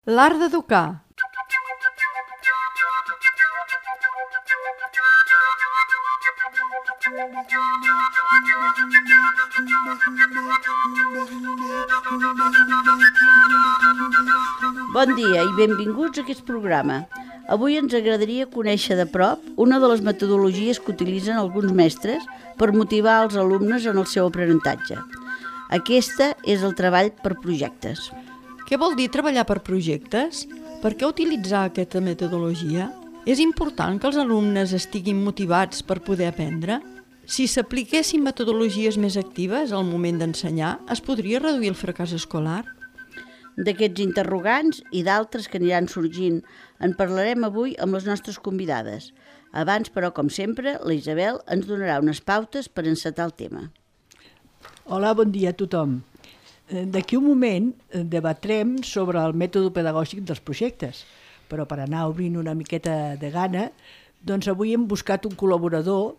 L'art d'educar. Bon dia i benvinguts a aquest programa. Avui ens agradaria conèixer de prop una de les metodologies que utilitzen alguns mestres per motivar els alumnes en el seu aprenentatge. Aquesta és el treball per projectes. Què vol dir treballar per projectes? Per què utilitzar aquesta metodologia? És important que els alumnes estiguin motivats per poder aprendre? Si s'apliquessin metodologies més actives al moment d'ensenyar, es podria reduir el fracàs escolar? D'aquests interrogants i d'altres que aniran sorgint en parlarem avui amb les nostres convidades. Abans, però, com sempre, la Isabel ens donarà unes pautes per encetar el tema. Hola, bon dia a tothom. D'aquí un moment debatrem sobre el mètode pedagògic dels projectes, però per anar obrint una miqueta de gana, doncs avui hem buscat un col·laborador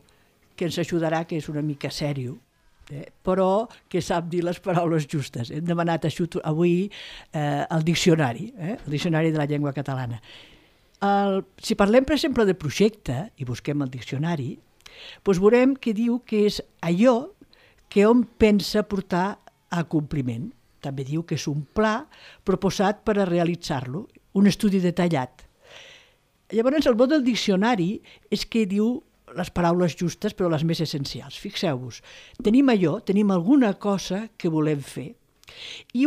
que ens ajudarà, que és una mica sèrio, però que sap dir les paraules justes. Hem demanat ajut avui al diccionari, el diccionari de la llengua catalana. Si parlem, per exemple, de projecte, i busquem el diccionari, doncs veurem que diu que és allò que hom pensa portar a compliment. També diu que és un pla proposat per a realitzar-lo, un estudi detallat. Llavors, el mot del diccionari és que diu les paraules justes, però les més essencials. Fixeu-vos, tenim alguna cosa que volem fer. I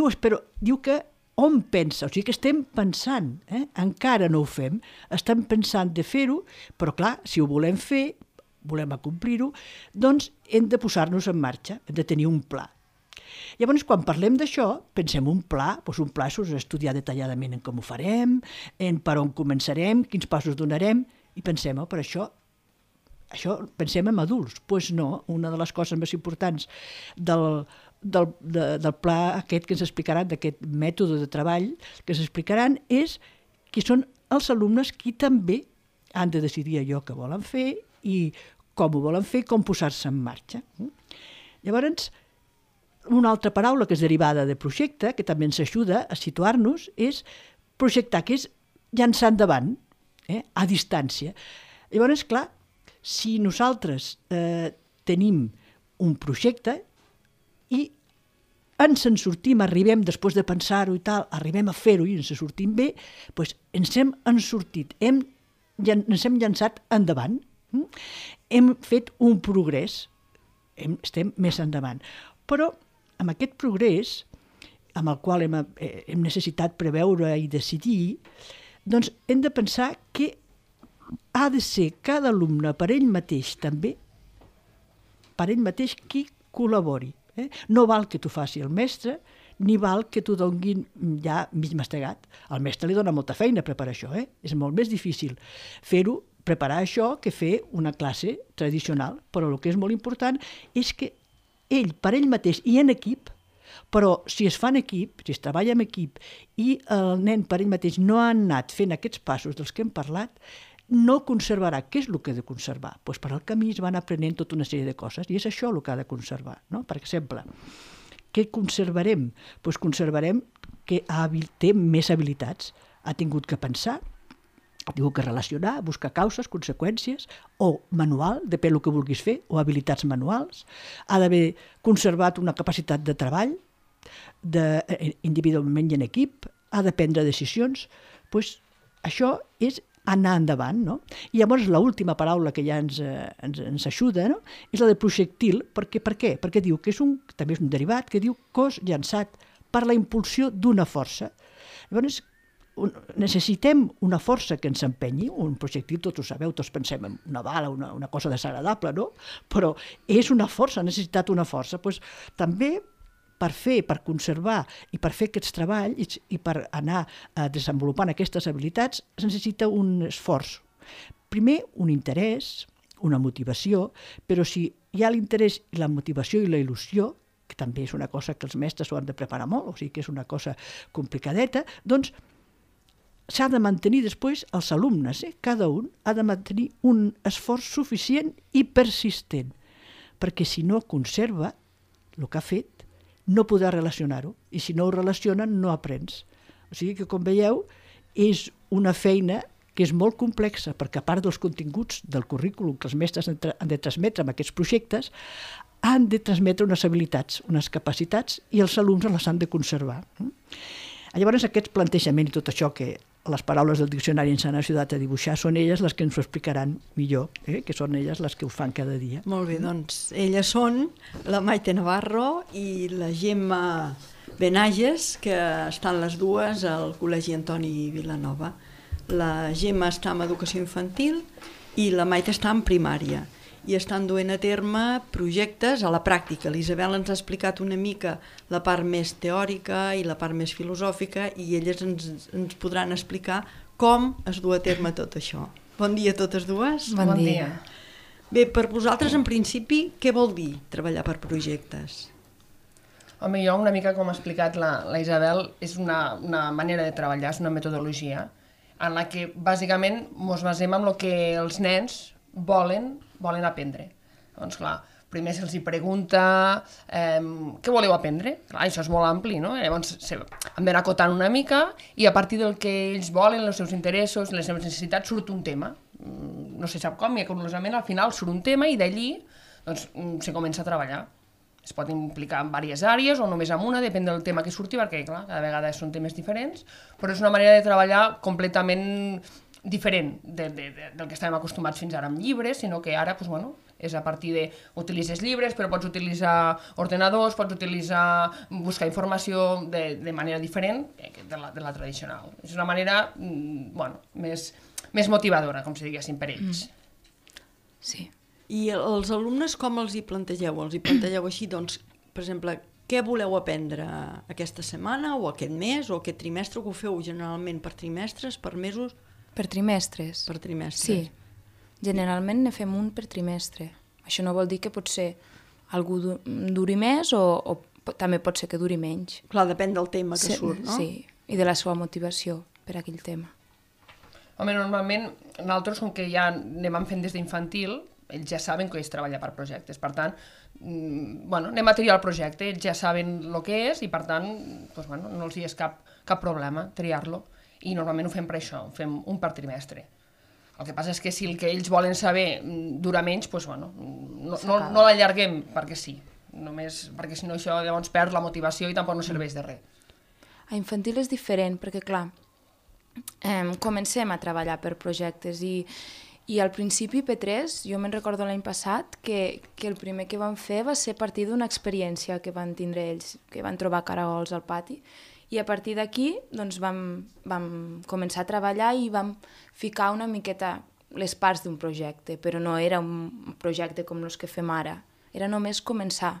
diu que on pensa, o sigui que estem pensant, encara no ho fem, estem pensant de fer-ho, però clar, si ho volem fer, volem acomplir-ho, doncs hem de posar-nos en marxa, hem de tenir un pla. Llavors, quan parlem d'això, pensem un pla, doncs un pla és estudiar detalladament en com ho farem, en per on començarem, quins passos donarem, i pensem, per això pensem en adults. Doncs no, una de les coses més importants del pla aquest que ens explicaran, d'aquest mètode de treball que ens explicaran, és que són els alumnes qui també han de decidir allò que volen fer i com ho volen fer, com posar-se en marxa. Llavors, una altra paraula que és derivada de projecte, que també ens ajuda a situar-nos, és projectar, que és llançar endavant, a distància. Llavors, clar, si nosaltres tenim un projecte i ens en sortim, arribem, després de pensar-ho i tal, arribem a fer-ho i ens en sortim bé, doncs ens hem sortit, ens hem llançat endavant, hem fet un progrés, estem més endavant. Però amb aquest progrés, amb el qual hem necessitat preveure i decidir, doncs hem de pensar que ha de ser cada alumne per ell mateix també, per ell mateix qui col·labori. No val que t'ho faci el mestre, ni val que t'ho donguin ja mig mastegat. Al mestre li dona molta feina preparar això, és molt més difícil fer-ho, preparar això, que fer una classe tradicional. Però el que és molt important és que ell, per ell mateix i en equip, però si es fa en equip, si es treballa en equip i el nen per ell mateix no ha anat fent aquests passos dels que hem parlat, no conservarà. Què és el que ha de conservar? Doncs per al camí es van aprenent tota una sèrie de coses i és això el que ha de conservar. Per exemple, què conservarem? Doncs conservarem que té més habilitats. Ha tingut que pensar, ha tingut que relacionar, buscar causes, conseqüències, o manual, depèn del que vulguis fer, o habilitats manuals. Ha d'haver conservat una capacitat de treball, individualment i en equip, ha de prendre decisions. Doncs això és anar endavant, no? I llavors l'última paraula que ja ens ajuda, no? És la de projectil. Per què? Perquè diu que també és un derivat, que diu cos llançat per la impulsió d'una força. Llavors, necessitem una força que ens empenyi, un projectil, tots ho sabeu, tots pensem en una bala, una cosa desagradable, no? Però és una força, ha necessitat una força. Doncs també per conservar i per fer aquests treballs i per anar desenvolupant aquestes habilitats es necessita un esforç. Primer, un interès, una motivació, però si hi ha l'interès, la motivació i la il·lusió, que també és una cosa que els mestres ho han de preparar molt, o sigui que és una cosa complicadeta, doncs s'ha de mantenir després els alumnes, cada un ha de mantenir un esforç suficient i persistent, perquè si no conserva el que ha fet, no podrà relacionar-ho, i si no ho relacionen no aprens. O sigui que, com veieu, és una feina que és molt complexa, perquè a part dels continguts del currículum que els mestres han de transmetre amb aquests projectes, han de transmetre unes habilitats, unes capacitats, i els alumnes les han de conservar. Llavors, aquest plantejament i tot això que les paraules del diccionari ens han ajudat a dibuixar són elles les que ens ho explicaran millor, que són elles les que ho fan cada dia. Molt bé, doncs elles són la Maite Navarro i la Gemma Benages, que estan les dues al Col·legi Antoni Vilanova. La Gemma està en educació infantil i la Maite està en primària i estan duent a terme projectes a la pràctica. L'Isabel ens ha explicat una mica la part més teòrica i la part més filosòfica i elles ens podran explicar com es du a terme tot això. Bon dia a totes dues. Bon dia. Bé, per vosaltres, en principi, què vol dir treballar per projectes? Home, jo una mica com ha explicat la Isabel, és una manera de treballar, és una metodologia en la que bàsicament ens basem en el que els nens volen aprendre. Doncs clar, primer se'ls pregunta què voleu aprendre? Clar, això és molt ampli, no? Llavors hem d'anar acotant una mica i a partir del que ells volen, els seus interessos, les seves necessitats, surt un tema. No se sap com, i curiosament al final surt un tema i d'allí doncs, se comença a treballar. Es pot implicar en diverses àrees o només en una, depèn del tema que surti, perquè clar, cada vegada són temes diferents, però és una manera de treballar completament diferent del que estàvem acostumats fins ara amb llibres, sinó que ara doncs, bueno, és a partir d'utilitzes llibres, però pots utilitzar ordenadors, pots buscar informació de manera diferent de la tradicional. És una manera bueno, més motivadora, com si diguéssim, per ells. Sí. I els alumnes com els hi plantegeu? Els hi plantegeu així, doncs, per exemple, què voleu aprendre aquesta setmana o aquest mes o aquest trimestre, que ho feu generalment per trimestres, per mesos? Per trimestres. Per trimestres. Sí, generalment ne fem un per trimestre. Això no vol dir que potser algú duri més o també pot ser que duri menys. Clar, depèn del tema que surt, no? Sí, i de la seva motivació per aquell tema. Home, normalment nosaltres, com que ja anem fent des d'infantil, ells ja saben que és treballar per projectes. Per tant, bueno, anem a triar el projecte, ells ja saben el que és i, per tant, doncs, bueno, no els hi és cap problema triar-lo. I normalment ho fem per això, ho fem un per trimestre. El que passa és que si el que ells volen saber dura menys, doncs, bueno, no l'allarguem perquè sí. Només perquè si no això llavors perd la motivació i tampoc no serveix de res. A infantil és diferent perquè, clar, comencem a treballar per projectes i al principi P3, jo me'n recordo l'any passat que el primer que vam fer va ser a partir d'una experiència que van tindre ells, que van trobar caragols al pati, i a partir d'aquí doncs, vam començar a treballar i vam ficar una miqueta les parts d'un projecte, però no era un projecte com els que fem ara, era només començar.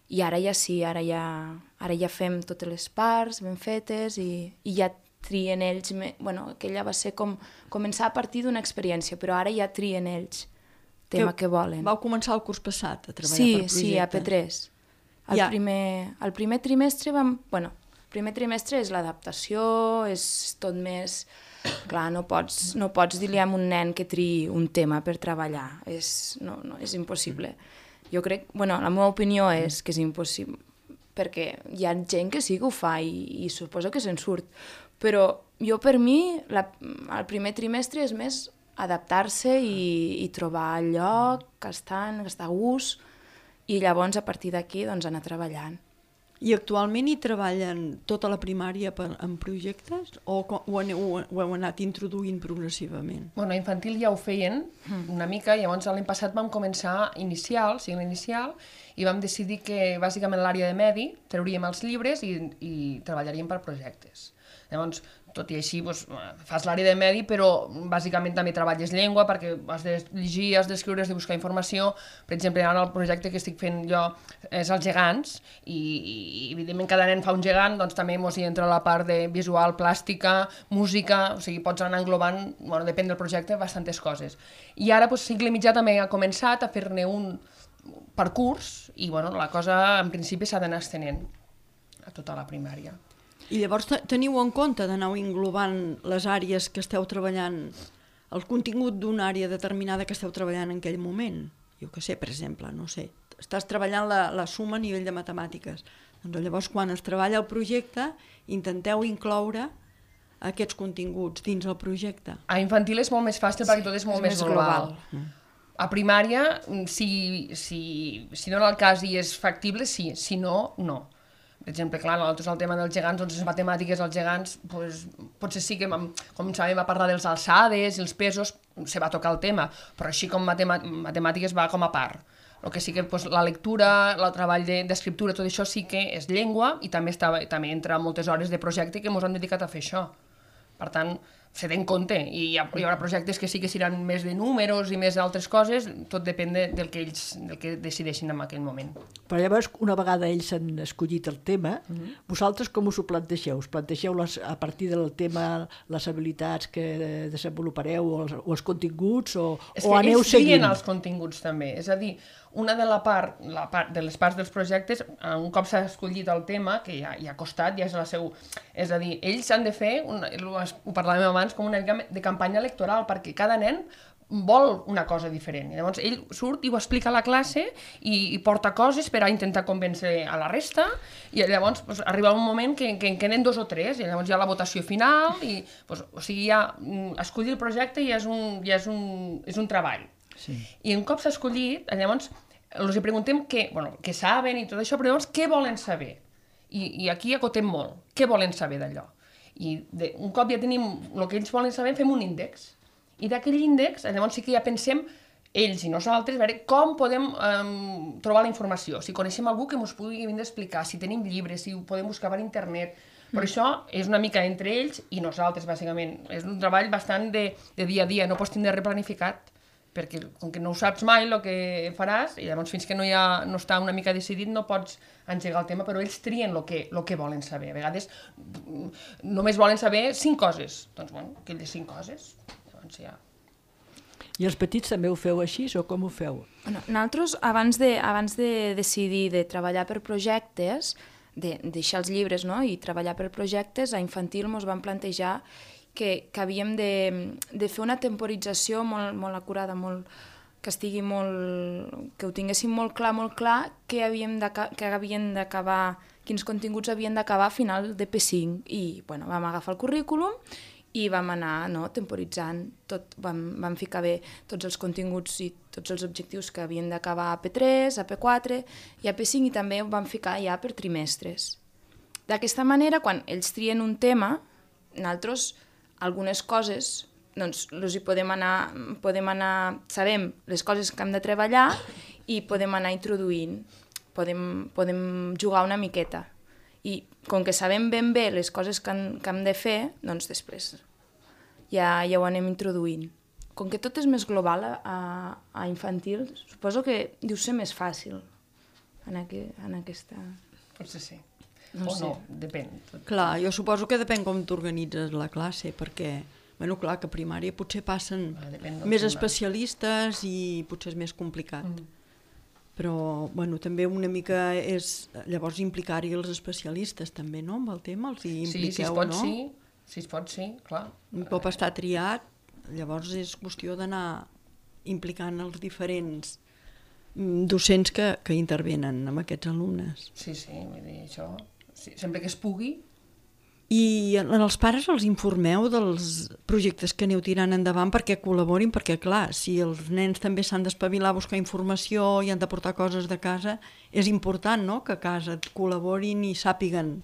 I ara ja sí, ara ja fem totes les parts ben fetes i ja trien ells, bueno, aquella va ser com començar a partir d'una experiència, però ara ja trien ells el tema que volen. Vau començar el curs passat a treballar per projectes? Sí, a P3. El primer trimestre el primer trimestre és l'adaptació, és tot més... Clar, no pots dir-li a un nen que triï un tema per treballar, és impossible. Jo crec, la meva opinió és que és impossible, perquè hi ha gent que sí que ho fa i suposo que se'n surt, però jo per mi el primer trimestre és més adaptar-se i trobar el lloc, estar a gust, i llavors a partir d'aquí doncs anar treballant. I actualment hi treballen tota la primària en projectes o ho heu anat introduint progressivament? Bueno, a infantil ja ho feien una mica, i llavors l'any passat vam començar cicle inicial, i vam decidir que bàsicament a l'àrea de medi trauríem els llibres i treballaríem per projectes. Llavors, tot i així, fas l'àrea de medi, però bàsicament també treballes llengua perquè has de llegir, has d'escriure, has de buscar informació. Per exemple, ara el projecte que estic fent jo és els gegants i evidentment cada nen fa un gegant, doncs també hi entra la part de visual, plàstica, música, o sigui, pots anar englobant, depèn del projecte, bastantes coses. I ara, cicle mitjà també ha començat a fer-ne un per curs i la cosa en principi s'ha d'anar estenent a tota la primària. I llavors teniu en compte d'anar englobant les àrees que esteu treballant, el contingut d'una àrea determinada que esteu treballant en aquell moment? Jo què sé, per exemple, no sé, estàs treballant la suma a nivell de matemàtiques, Doncs llavors, quan es treballa el projecte, intenteu incloure aquests continguts dins el projecte. A infantil és molt més fàcil perquè tot és molt més global. A primària, si no en el cas i és factible, sí. Si no, no. Per exemple, clar, nosaltres el tema dels gegants, doncs les matemàtiques dels gegants, potser sí que, com sabem, va parlar dels alçades i els pesos, se va tocar el tema, però així com matemàtiques va com a part. El que sí que la lectura, el treball d'escriptura, tot això sí que és llengua i també entra moltes hores de projecte que ens han dedicat a fer això. Per tant, se té en compte, i hi haurà projectes que sí que seran més de números i més d'altres coses, tot depèn del que decideixin en aquell moment. Però llavors, una vegada ells han escollit el tema, vosaltres com us ho plantegeu? Us plantegeu a partir del tema les habilitats que desenvolupareu o els continguts o aneu seguint? És que ells trien els continguts també, és a dir, una de les parts dels projectes, un cop s'ha escollit el tema, que ja ha costat, ja és la seu... És a dir, ells han de fer, ho parlàvem abans, com una mica de campanya electoral, perquè cada nen vol una cosa diferent. I llavors ell surt i ho explica a la classe i porta coses per a intentar convèncer a la resta, i llavors arriba un moment que en queden 2 o 3, i llavors hi ha la votació final, i o sigui, ja escollir el projecte ja és un treball. Sí. I un cop s'ha escollit, llavors els preguntem què saben i tot això, però llavors què volen saber? I aquí acotem molt. Què volen saber d'allò? I un cop ja tenim el que ells volen saber, fem un índex. I d'aquell índex, llavors sí que ja pensem, ells i nosaltres, a veure com podem trobar la informació. Si coneixem algú que ens pugui vindre a explicar, si tenim llibres, si ho podem buscar per internet. Però això és una mica entre ells i nosaltres, bàsicament. És un treball bastant de dia a dia, no pots tindre replanificat, perquè com que no ho saps mai el que faràs, i llavors fins que no està una mica decidit no pots engegar el tema, però ells trien el que volen saber. A vegades només volen saber 5 coses. Doncs, aquelles 5 coses, llavors ja... I els petits també ho feu així o com ho feu? Bueno, nosaltres, abans de decidir de treballar per projectes, de deixar els llibres, no?, i treballar per projectes, a infantil ens vam plantejar que havíem de fer una temporització molt acurada, que ho tinguéssim molt clar que havien d'acabar, quins continguts havien d'acabar a final de P5. I vam agafar el currículum i vam anar temporitzant tot, vam ficar bé tots els continguts i tots els objectius que havien d'acabar a P3, a P4 i a P5, i també ho vam ficar ja per trimestres. D'aquesta manera, quan ells trien un tema, nosaltres algunes coses, doncs, podem anar, sabem les coses que hem de treballar i podem anar introduint, podem jugar una miqueta. I com que sabem ben bé les coses que hem de fer, doncs després ja ho anem introduint. Com que tot és més global a infantil, suposo que deu ser més fàcil en aquesta... Potser sí. No sé. Depèn. Clar, jo suposo que depèn com t'organitzes la classe, perquè, clar, que a primària potser passen més especialistes i potser és més complicat. Però, també una mica és, llavors, implicar-hi els especialistes també, no?, amb el tema, els hi impliqueu, no? Si es pot, sí, clar. Un cop està triat, llavors és qüestió d'anar implicant els diferents docents que intervenen amb aquests alumnes. Sí, vull dir, això... sempre que es pugui. I els pares els informeu dels projectes que aneu tirant endavant perquè col·laborin, perquè clar, si els nens també s'han d'espavilar a buscar informació i han de portar coses de casa, és important, no?, que a casa col·laborin i sàpiguen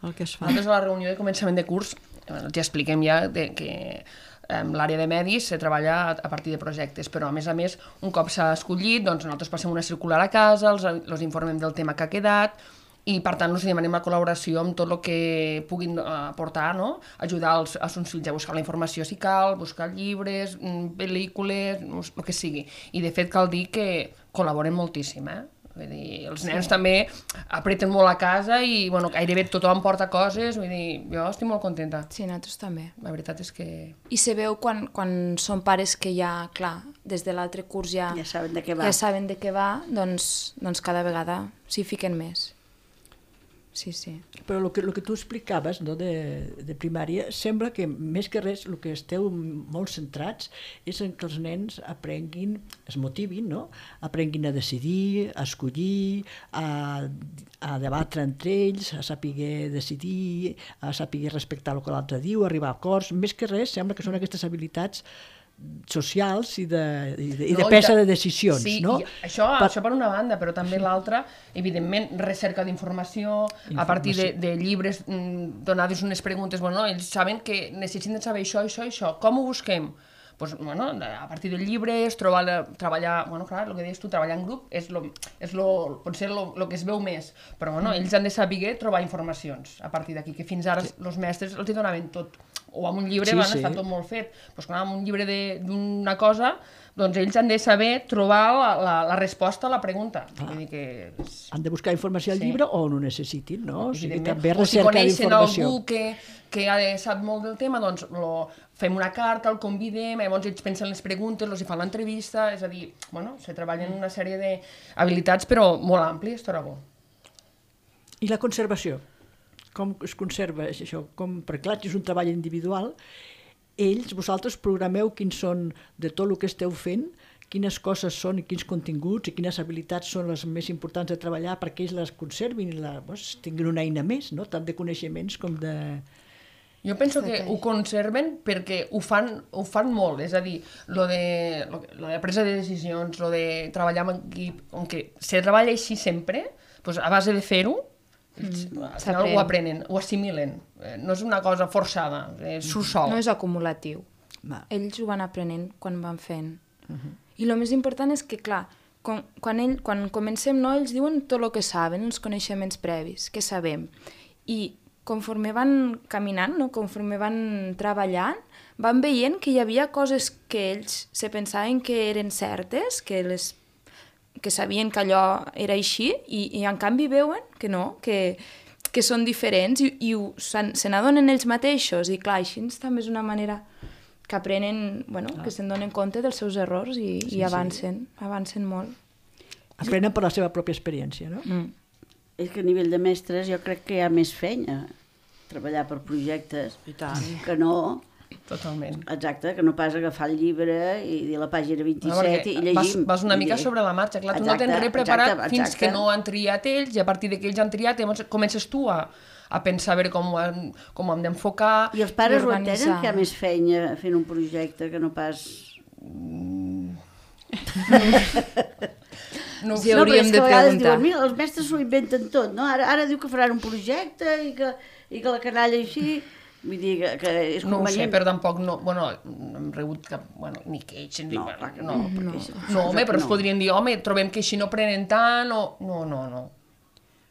el que es fa. Nosaltres a la reunió de començament de curs ja expliquem ja que l'àrea de medis se treballa a partir de projectes, però a més, un cop s'ha escollit, doncs nosaltres passem una circular a casa, els informem del tema que ha quedat, i per tant els demanem la col·laboració amb tot el que puguin aportar, no? Ajudar els seus fills a buscar la informació si cal, buscar llibres, pel·lícules, el que sigui. I de fet cal dir que col·laboren moltíssim, Vull dir, els nens també apreten molt a casa i gairebé tothom porta coses, vull dir, jo estic molt contenta. Sí, nosaltres també. La veritat és que... I se veu quan són pares que ja, clar, des de l'altre curs ja saben de què va, doncs cada vegada s'hi fiquen més. sí, sí. Però el que tu explicaves, no, de primària, sembla que més que res el que esteu molt centrats és en que els nens aprenguin, es motivin, no? Aprenguin a decidir, a escollir, a debatre entre ells, a saber decidir, a saber respectar el que l'altre diu, arribar a acords. Més que res sembla que són aquestes habilitats socials i de presa de decisions. Sí, no? Això per una banda, però també l'altra, evidentment, recerca d'informació, a partir de llibres, donades unes preguntes, bueno, ells saben que necessiten saber això, això, això, com ho busquem? Pues, bueno, a partir del llibre, treballar, bueno, clar, el que deies tu, treballar en grup potser el que es veu més, però bueno, ells han de saber trobar informacions a partir d'aquí, que fins ara els mestres els hi donaven tot, o amb un llibre està tot molt fet, doncs clar, amb un llibre d'una cosa, doncs ells han de saber trobar la resposta a la pregunta. Vull dir que han de buscar informació al llibre o no necessitin, no? O sigui, també o si recerca coneixen d'informació. algú que sap molt del tema, doncs fem una carta, el convidem, llavors ells pensen les preguntes, els hi fan l'entrevista, és a dir, bueno, se treballen una sèrie d'habilitats, però molt àmplies, estarà bo. I la conservació? Com es conserva això? Perquè clar, és un treball individual. Vosaltres programeu quins són, de tot el que esteu fent, quines coses són i quins continguts i quines habilitats són les més importants de treballar perquè ells les conservin i tinguin una eina més, no? Tant de coneixements com de... Jo penso que ho conserven perquè ho fan molt, és a dir, lo de presa de decisions, lo de treballar en equip, com que se treballa així sempre, doncs a base de fer-ho, al final ho aprenen, ho assimilen, no és una cosa forçada, surt sol. No és acumulatiu. Ells ho van aprenent quan van fent. I el més important és que, clar, quan comencem, no, ells diuen tot el que saben, els coneixements previs, que sabem. I conforme van caminant, no, conforme van treballant, van veient que hi havia coses que ells se pensaven que eren certes, que sabien que allò era així, i en canvi veuen que no, que són diferents i se n'adonen ells mateixos. I clar, així també és una manera que aprenen, bueno, que se'n donen compte dels seus errors i avancen molt. Aprenen per la seva pròpia experiència, no? És que a nivell de mestres jo crec que hi ha més feina treballar per projectes que no... Totalment. Exacte, que no pas agafar el llibre i dir la pàgina 27 i llegim. Vas una mica sobre la marxa, clar, tu no tens res preparat fins que no han triat ells, i a partir que ells han triat llavors comences tu a pensar a veure com ho hem d'enfocar. I els pares ho entenen, que hi ha més feina fent un projecte que no pas... No ho hauríem de preguntar. Diuen, els mestres s'ho inventen tot, no? Ara diu que faran un projecte i que la canalla així... Vull dir que és no ho sé, però tampoc no hem rebut cap, ni queix, no, home, però es podrien dir, home, trobem que així no prenen tant, o... No.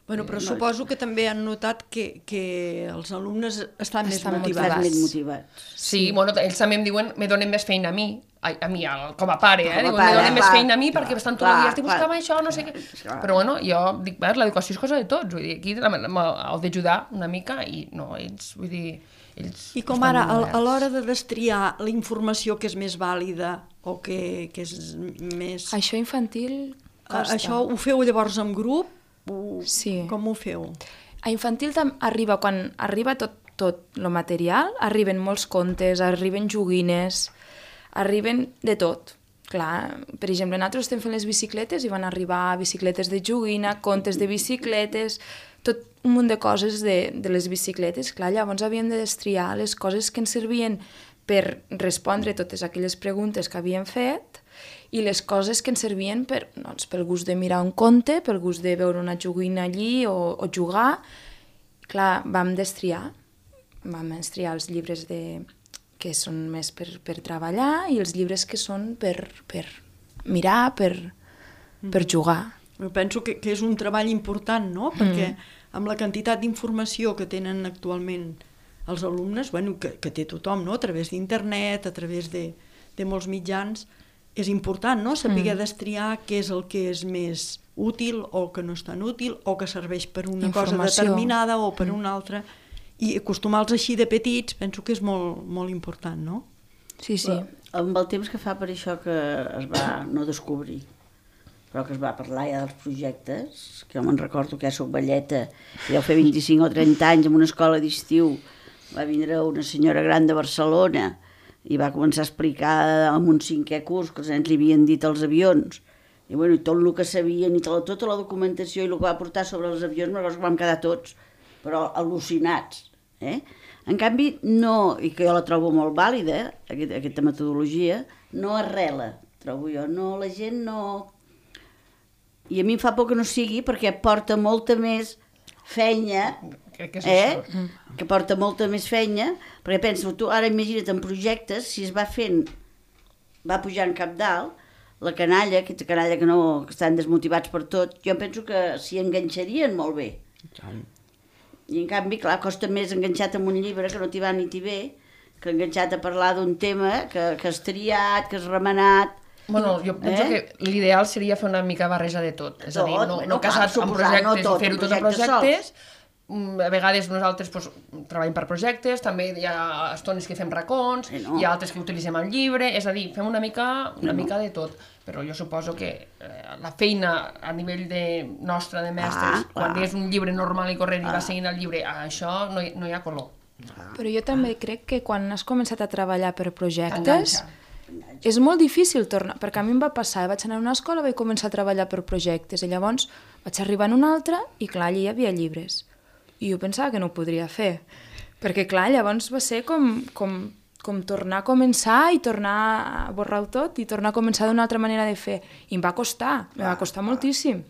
Bueno, però suposo que també han notat que els alumnes estan més motivats. Sí, bueno, ells també em diuen, me donen més feina a mi, com a pare, me donen més feina a mi perquè estan tot el dia, estic buscant això, no sé què. Però bueno, jo dic, l'educació és cosa de tots, vull dir, aquí heu d'ajudar una mica i no, ells, vull dir... I com ara, a l'hora de destriar la informació que és més vàlida o que és més... Això infantil costa. Això ho feu llavors en grup? Sí. Com ho feu? A infantil arriba, quan arriba tot el material, arriben molts contes, arriben joguines, arriben de tot. Clar, per exemple, nosaltres estem fent les bicicletes i van arribar bicicletes de joguina, contes de bicicletes, tot un munt de coses de les bicicletes. Clar, llavors havíem de destriar les coses que ens servien per respondre totes aquelles preguntes que havíem fet i les coses que ens servien pel gust de mirar un conte, pel gust de veure una joguina allí o jugar. Clar, vam destriar els llibres que són més per treballar i els llibres que són per mirar, per jugar. Jo penso que és un treball important, no? Perquè amb la quantitat d'informació que tenen actualment els alumnes, que té tothom, no? A través d'internet, a través de molts mitjans, és important, no? Saber destriar què és el que és més útil o que no és tan útil o que serveix per una cosa determinada o per una altra. I acostumar-los així de petits penso que és molt, molt important, no? Sí. Amb el temps que fa per això que es va no descobrir. però que es va parlar ja dels projectes, que jo me'n recordo que ja soc velleta, que deu fer 25 o 30 anys en una escola d'estiu, va vindre una senyora gran de Barcelona i va començar a explicar en un 5è curs que els nens li havien dit als avions, i bueno, tot el que sabien i tota la documentació i el que va portar sobre els avions, me'n recordo que vam quedar tots, però al·lucinats. En canvi, no, i que jo la trobo molt vàlida, aquesta metodologia, no arrela, trobo jo, no, la gent no... I a mi em fa por que no sigui perquè porta molta més feina, Crec que és això. que porta molta més feina, perquè penso, tu ara imagina't en projectes, si es va fent, va pujant cap dalt, la canalla, aquesta canalla que estan desmotivats per tot, jo penso que s'hi enganxarien molt bé. I en canvi, clar, costa més enganxat amb un llibre que no t'hi va ni t'hi ve, que enganxat a parlar d'un tema que has triat, que has remenat. Bueno, jo penso que l'ideal seria fer una mica barreja de tot. És a dir, no casats amb projectes i fer-ho tot en projectes. A vegades nosaltres treballem per projectes, també hi ha estones que fem racons, hi ha altres que utilitzem el llibre, és a dir, fem una mica de tot. Però jo suposo que la feina a nivell nostra de mestres, quan és un llibre normal i corrent i va seguint el llibre, això no hi ha color. Però jo també crec que quan has començat a treballar per projectes és molt difícil tornar, perquè a mi em va passar, vaig anar a una escola, vaig començar a treballar per projectes i llavors vaig arribar en una altra i clar, allà hi havia llibres. I jo pensava que no ho podria fer, perquè clar, llavors va ser com tornar a començar i tornar a borrar-ho tot i tornar a començar d'una altra manera de fer. I em va costar moltíssim.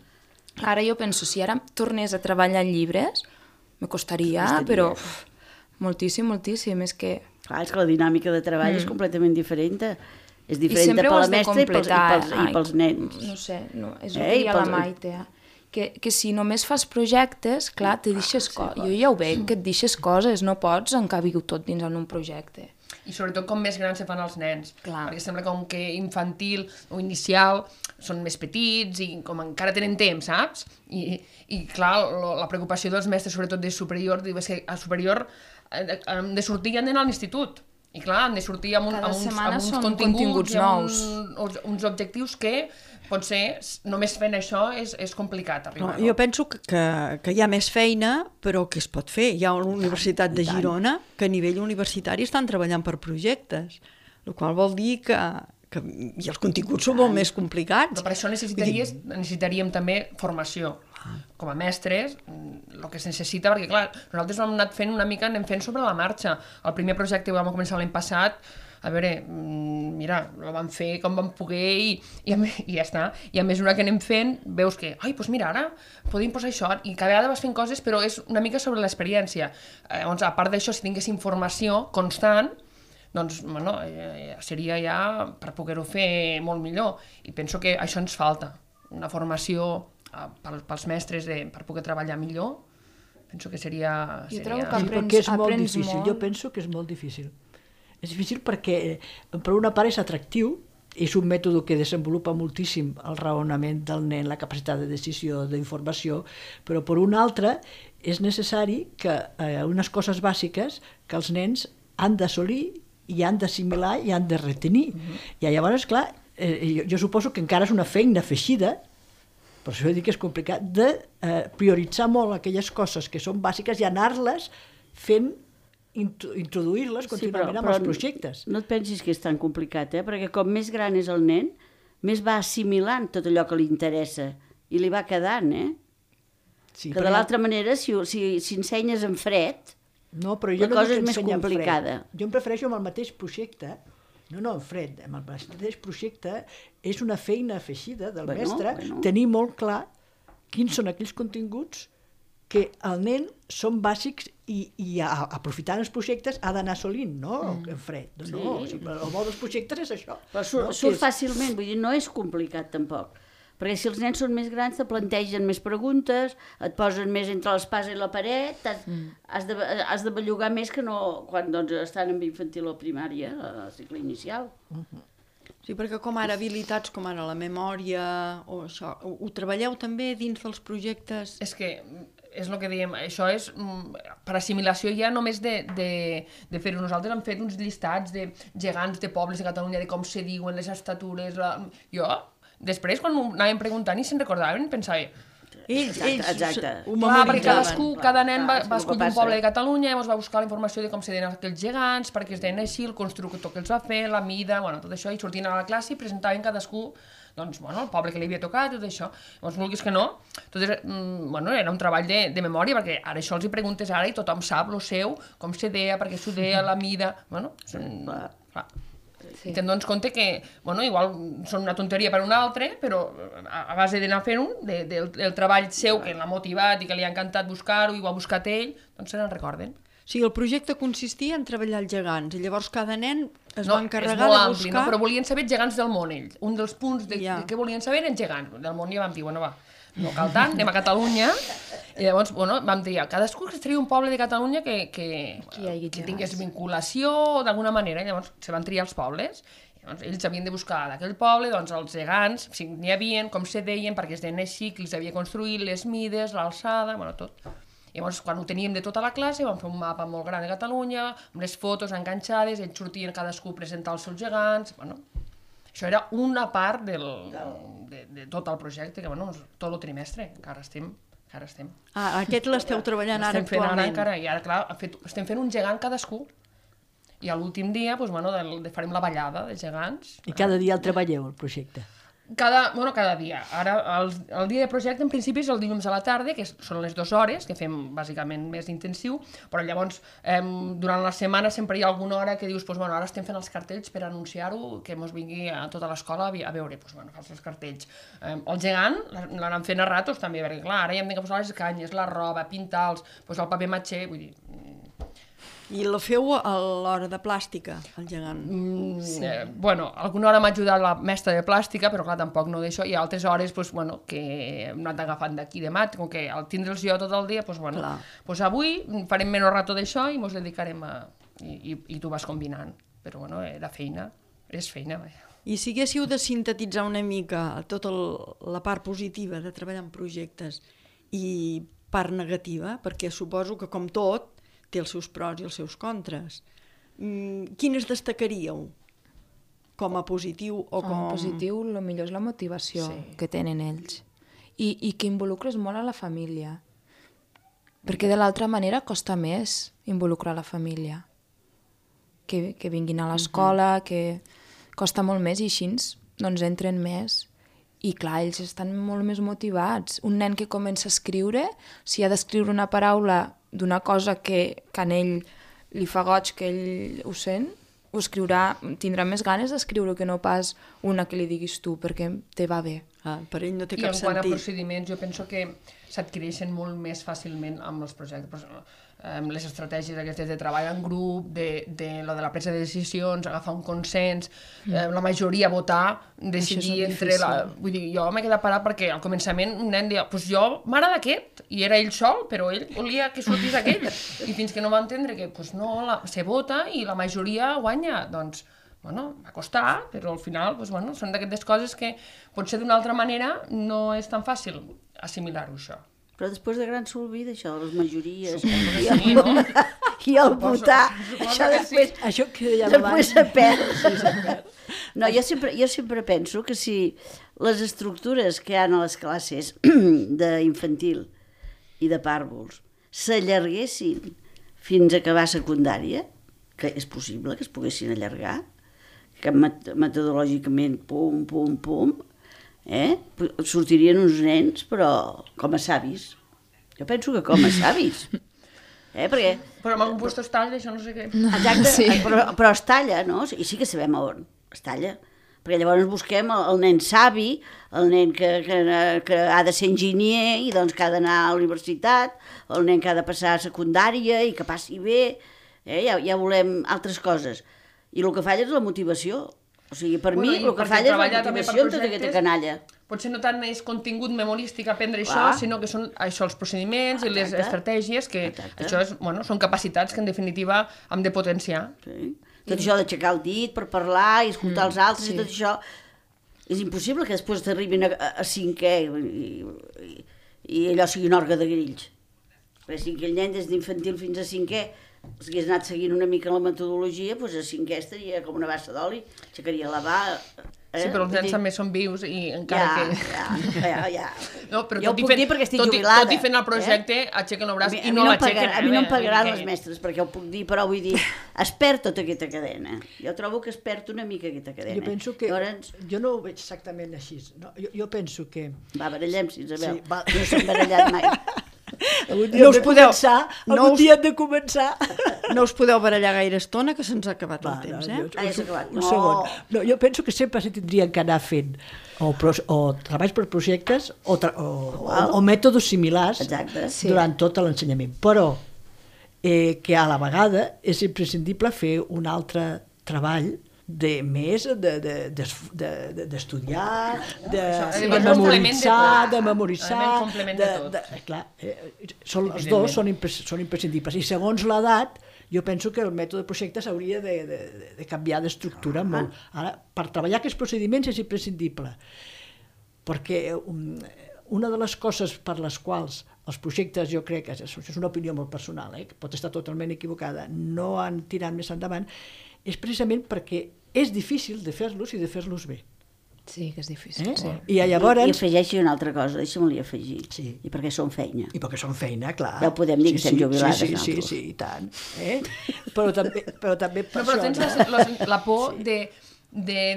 Ara jo penso, si ara tornés a treballar en llibres, me costaria, però moltíssim, moltíssim. És que la dinàmica de treball és completament diferent. És diferent per la mestra i pels nens. No sé, és el que hi ha la Maite. Que si només fas projectes, clar, te deixes coses. Jo ja ho veig, que et deixes coses, no pots encabir-ho tot dins en un projecte. I sobretot com més grans se fan els nens, perquè sembla com que infantil o inicial són més petits i com encara tenen temps, saps? I clar, la preocupació dels mestres, sobretot de superior, és que a superior han de sortir i han d'anar a l'institut. I clar, han de sortir amb uns continguts nous, uns objectius que potser només fent això és complicat arribar. Jo penso que hi ha més feina, però que es pot fer. Hi ha una Universitat de Girona que a nivell universitari estan treballant per projectes, el qual vol dir que i els continguts són molt més complicats. Però per això necessitaríem també formació. Com a mestres, el que es necessita, perquè clar, nosaltres hem anat fent una mica, anem fent sobre la marxa. El primer projecte que vam començar l'any passat, a veure, mira, el vam fer com vam poder i ja està. I a mesura que anem fent, veus que, doncs mira, ara podem posar això, i cada vegada vas fent coses, però és una mica sobre l'experiència. Llavors, a part d'això, si tingués informació constant, doncs, bueno, seria ja per poder-ho fer molt millor. I penso que això ens falta, una formació pels mestres per poder treballar millor. Penso que seria... Jo trobo que aprens molt. Jo penso que és molt difícil. És difícil perquè, per una part, és atractiu, és un mètode que desenvolupa moltíssim el raonament del nen, la capacitat de decisió, d'informació, però per una altra és necessari que unes coses bàsiques que els nens han d'assolir i han d'assimilar i han de retenir. I llavors, clar, jo suposo que encara és una feina afegida, per això dic que és complicat, de prioritzar molt aquelles coses que són bàsiques i anar-les fent, introduir-les contínuament amb els projectes. No et pensis que és tan complicat, perquè com més gran és el nen, més va assimilant tot allò que li interessa i li va quedant, Sí, que de l'altra manera, si ensenyes en fred, la cosa és més complicada. Jo em prefereixo amb el mateix projecte, no en fred, amb el mateix projecte és una feina afegida del mestre, tenir molt clar quins són aquells continguts que el nen són bàsics i aprofitant els projectes ha d'anar assolint, no en fred. El bo dels projectes és això. Però surt fàcilment, vull dir, no és complicat tampoc. Perquè si els nens són més grans te plantegen més preguntes, et posen més entre l'espasa i la paret, has de bellugar més que no quan estan en infantil o primària, a cicle inicial. Sí, perquè com ara habilitats com ara la memòria o això, ho treballeu també dins dels projectes? És que és el que dèiem, això és per assimilació ja només de fer-ho. Nosaltres hem fet uns llistats de gegants de pobles de Catalunya, de com se diuen les estatures. Jo després, quan anàvem preguntant i se'n recordaven, pensava... Ells ho Clar, perquè memoritzaven. cada nen va escollir un poble de Catalunya, llavors va buscar la informació de com se deien aquells gegants, perquè es deien així, el constructor que els va fer, la mida, bueno, tot això, i sortien a la classe i presentaven cadascú, doncs, bueno, el poble que li havia tocat, tot això. Llavors, vulguis que no, tot bueno, era un treball de memòria, perquè ara això els hi preguntes ara i tothom sap el seu, com se deia, perquè s'ho deia, la mida, bueno, clar. Sí. I te'n dones compte que, bueno, igual són una tonteria per un altre, però a base d'anar fent del treball seu que l'ha motivat i que li ha encantat buscar-ho i ho ha buscat ell, doncs se n'en recorden. O sigui, el projecte consistia en treballar els gegants i llavors cada nen es va encarregar de buscar... ampli, no? Però volien saber gegants del món, ells. Un dels punts de què volien saber eren gegants del món, i vam dir, bueno, va, no cal tant, anem a Catalunya, i llavors, bueno, vam triar, cadascú que es tria un poble de Catalunya que tingués vinculació d'alguna manera, i llavors se van triar els pobles, i llavors ells havien de buscar d'aquell poble, doncs els gegants, si n'hi havia, com se deien, perquè es deien així, qui els havia construït, les mides, l'alçada, bueno, tot. I llavors, quan ho teníem de tota la classe, vam fer un mapa molt gran de Catalunya, amb les fotos enganxades, ells sortien cadascú a presentar els seus gegants, bueno... Això era una part de tot el projecte, que bueno, tot el trimestre, encara estem. Ah, aquest l'esteu treballant ara actualment. I ara, clar, estem fent un gegant cadascú. I a l'últim dia, doncs, bueno, farem la ballada de gegants. I cada dia el treballeu, el projecte? Cada dia. Ara, el dia de projecte, en principi, és el dilluns a la tarda, que són les 2 hores, que fem bàsicament més intensiu, però llavors, durant la setmana sempre hi ha alguna hora que dius, doncs, bueno, ara estem fent els cartells per anunciar-ho, que mos vingui a tota l'escola a veure, doncs, bueno, fas els cartells. El gegant l'anem fent a ratos, també, perquè, clar, ara ja hem de posar les canyes, la roba, pintar-los, doncs, el paper matxer, vull dir... I la feu a l'hora de plàstica, el gegant? Bueno, alguna hora m'ha ajudat la mestra de plàstica, però clar, tampoc no d'això, i altres hores, doncs, bueno, que hem anat agafant d'aquí demà, com que al tindre'ls jo tot el dia, doncs, bueno, doncs avui farem menys rato d'això i ens dedicarem a... I tu vas combinant, però, bueno, era feina, és feina, vaja. I si haguéssiu de sintetitzar una mica tota la part positiva de treballar en projectes i part negativa, perquè suposo que, com tot, té els seus pros i els seus contres. Quines destacaríeu com a positiu o com... Com a positiu, el millor és la motivació que tenen ells. I que involucres molt a la família. Perquè de l'altra manera costa més involucrar la família. Que vinguin a l'escola, que costa molt més i així doncs entren més. I clar, ells estan molt més motivats. Un nen que comença a escriure, si ha d'escriure una paraula d'una cosa que a ell li fa goig, que ell ho sent, ho escriurà, tindrà més ganes d'escriure que no pas una que li diguis tu, perquè te va bé. Per ell no té cap sentit. I en quant a procediments, jo penso que s'adquireixen molt més fàcilment amb els projectes. Les estratègies aquestes de treball en grup, de lo de la presa de decisions, agafar un consens, la majoria votar, decidir entre... Vull dir, jo m'he quedat parat perquè al començament un nen deia, doncs jo m'agrada aquest, i era ell sol, però ell volia que sortís aquell. I fins que no va entendre que doncs no, se vota i la majoria guanya, doncs... Bueno, va costar, però al final doncs, bueno, són d'aquestes coses que potser d'una altra manera no és tan fàcil assimilar-ho, això. Però després de gran s'olvida això de les majories sí, no? I el votar, això després, això que després se perd. No, jo sempre penso que si les estructures que hi ha a les classes d'infantil i de pàrvuls s'allarguessin fins a acabar secundària, que és possible que es poguessin allargar, que metodològicament pum, pum, pum, sortirien uns nens, però com a savis. Jo penso que com a savis. Perquè... Però amb algun lloc es talla, això no sé què. Exacte, sí. Però es talla, no? I sí que sabem on es talla. Perquè llavors busquem el nen savi, el nen que ha de ser enginyer i doncs que ha d'anar a la universitat, el nen que ha de passar a secundària i que passi bé, ja volem altres coses. I el que falla és la motivació. O sigui, per mi el que falla és la motivació en tota aquesta canalla. Potser no tant és contingut memorístic aprendre això, sinó que són això, els procediments i les estratègies, que això són capacitats que en definitiva hem de potenciar. Sí. Tot això d'aixecar el dit per parlar i escoltar els altres i tot això, és impossible que després t'arribin a cinquè i allò sigui un orgue de grills. Perquè si aquell nen des d'infantil fins a cinquè si hagués anat seguint una mica la metodologia, doncs a 5è estaria com una bassa d'oli, aixecaria la va... Sí, però els nens també són vius i encara que... Ja. No, però Jo ho puc dir perquè estic jubilada. Tot i fent el projecte, aixequen el braç i no l'aixequen. A mi no em pagaran les mestres perquè ho puc dir, però vull dir, es perd tota aquesta cadena. Jo trobo que es perd una mica aquesta cadena. Jo penso que... Llavors... Jo no ho veig exactament així. No, jo penso que... Va, barallem-s'hi, Isabel. Sí, va. No s'han barallat mai. No us podeu... Algun dia hem de començar. No us podeu barallar gaire estona, que se'ns ha acabat el temps, eh? Ja s'ha acabat. Un segon. No, jo penso que sempre se tindrien que anar fent o treballs per projectes o mètodes similars durant tot l'ensenyament. Però que a la vegada és imprescindible fer un altre treball d'estudiar, de memoritzar, clar, els dos són imprescindibles. I segons l'edat, jo penso que el mètode de projectes hauria de canviar d'estructura molt. Ara, per treballar aquests procediments és imprescindible, perquè una de les coses per les quals els projectes, jo crec, és una opinió molt personal, que pot estar totalment equivocada, no han tirat més endavant, és precisament perquè és difícil de fer-los i de fer-los bé. Sí, que és difícil. Sí. I afegeixi una altra cosa, deixa'm-li afegir. Sí. I perquè són feina. I perquè són feina, clar. Ja ho podem dir que estem jubilades nosaltres. Sí, i tant. Però també per això... Però tens la por de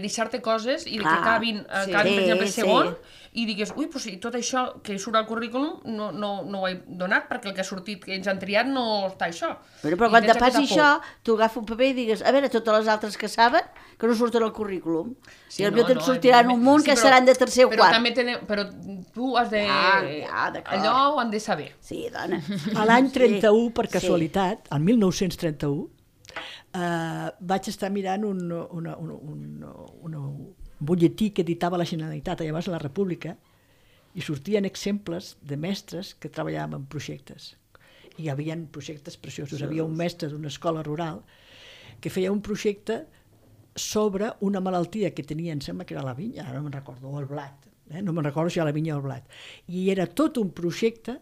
deixar-te coses i de que acabin per exemple, segon, i digues, ui, doncs tot això que surt al currículum no ho he donat perquè el que ha sortit, que ens han triat, no està això. Però quan te passi això, tu agafa un paper i digues, a veure, totes les altres que saben, que no surten al currículum. I potser te'n sortiran un munt que seran de tercer o quart. Però tu has de... Allò ho han de saber. Sí, dona. A l'any 31, per casualitat, el 1931, vaig estar mirant un butlletí que editava la Generalitat, llavors a la República, i sortien exemples de mestres que treballaven en projectes. I hi havia projectes preciosos. Hi havia un mestre d'una escola rural que feia un projecte sobre una malaltia que tenia, em sembla que era la vinya, ara no me'n recordo, o el blat, no me'n recordo si era la vinya o el blat. I era tot un projecte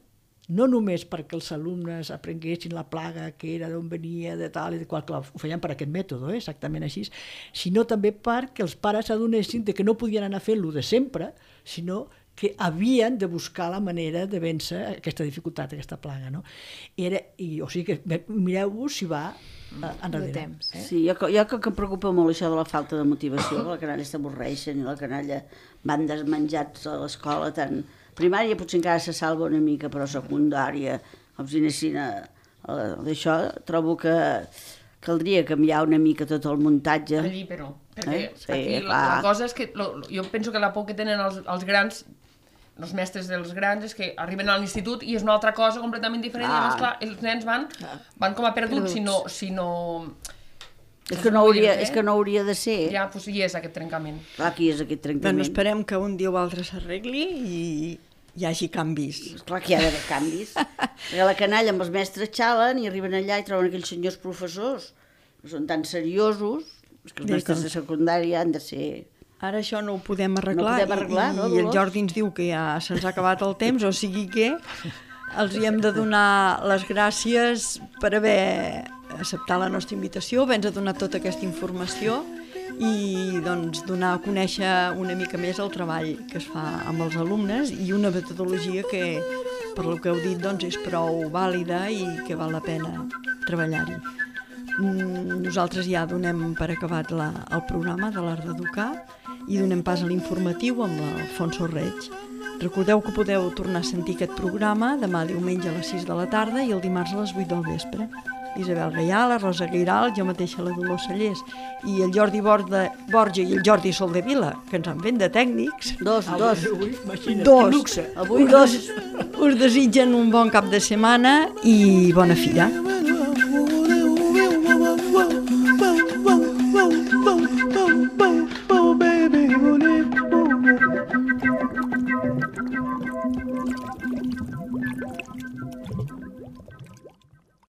no només perquè els alumnes aprenguessin la plaga, que era d'on venia, de tal i de qual, clar, ho feien per aquest mètode, exactament així, sinó també perquè els pares s'adonessin que no podien anar fent-lo de sempre, sinó que havien de buscar la manera de vèncer aquesta dificultat, aquesta plaga. No? O sigui que mireu-vos si va enrere. Sí, jo que em preocupa molt això de la falta de motivació, que la canalla s'avorreixen i la canalla van desmenjats a l'escola tant... Primària potser encara se salva una mica, però secundària, com si anessin d'això, trobo que caldria canviar una mica tot el muntatge. Allí, però, perquè aquí la cosa és que jo penso que la por que tenen els grans, els mestres dels grans, és que arriben a l'institut i és una altra cosa completament diferent, i llavors, clar, els nens van com a perduts, si no... És que no hauria de ser. Ja, doncs hi és aquest trencament. Clar, aquí és aquest trencament. Bueno, esperem que un dia o altre s'arregli i hi hagi canvis. Clar que hi ha d'haver canvis. Perquè la canalla amb els mestres xalen i arriben allà i troben aquells senyors professors que són tan seriosos, que els mestres de secundària han de ser... Ara això no ho podem arreglar, no, i el Jordi ens diu que ja se'ns ha acabat el temps, o sigui que els hi hem de donar les gràcies per haver acceptat la nostra invitació, haver-nos donat tota aquesta informació i doncs, donar a conèixer una mica més el treball que es fa amb els alumnes i una metodologia que, per lo que heu dit, doncs, és prou vàlida i que val la pena treballar-hi. Nosaltres ja donem per acabat el programa de l'Art d'Educar i donem pas a l'informatiu amb l'Alfonso Reig. Recordeu que podeu tornar a sentir aquest programa demà diumenge a les 6 de la tarda i el dimarts a les 8 del vespre. Isabel Gaià, la Rosa Guiral, jo mateixa la Dolors Sallés i el Jordi Borja i el Jordi Soldevila, que ens han fet de tècnics. Dos. Avui dos. Us desitgen un bon cap de setmana i bona fira.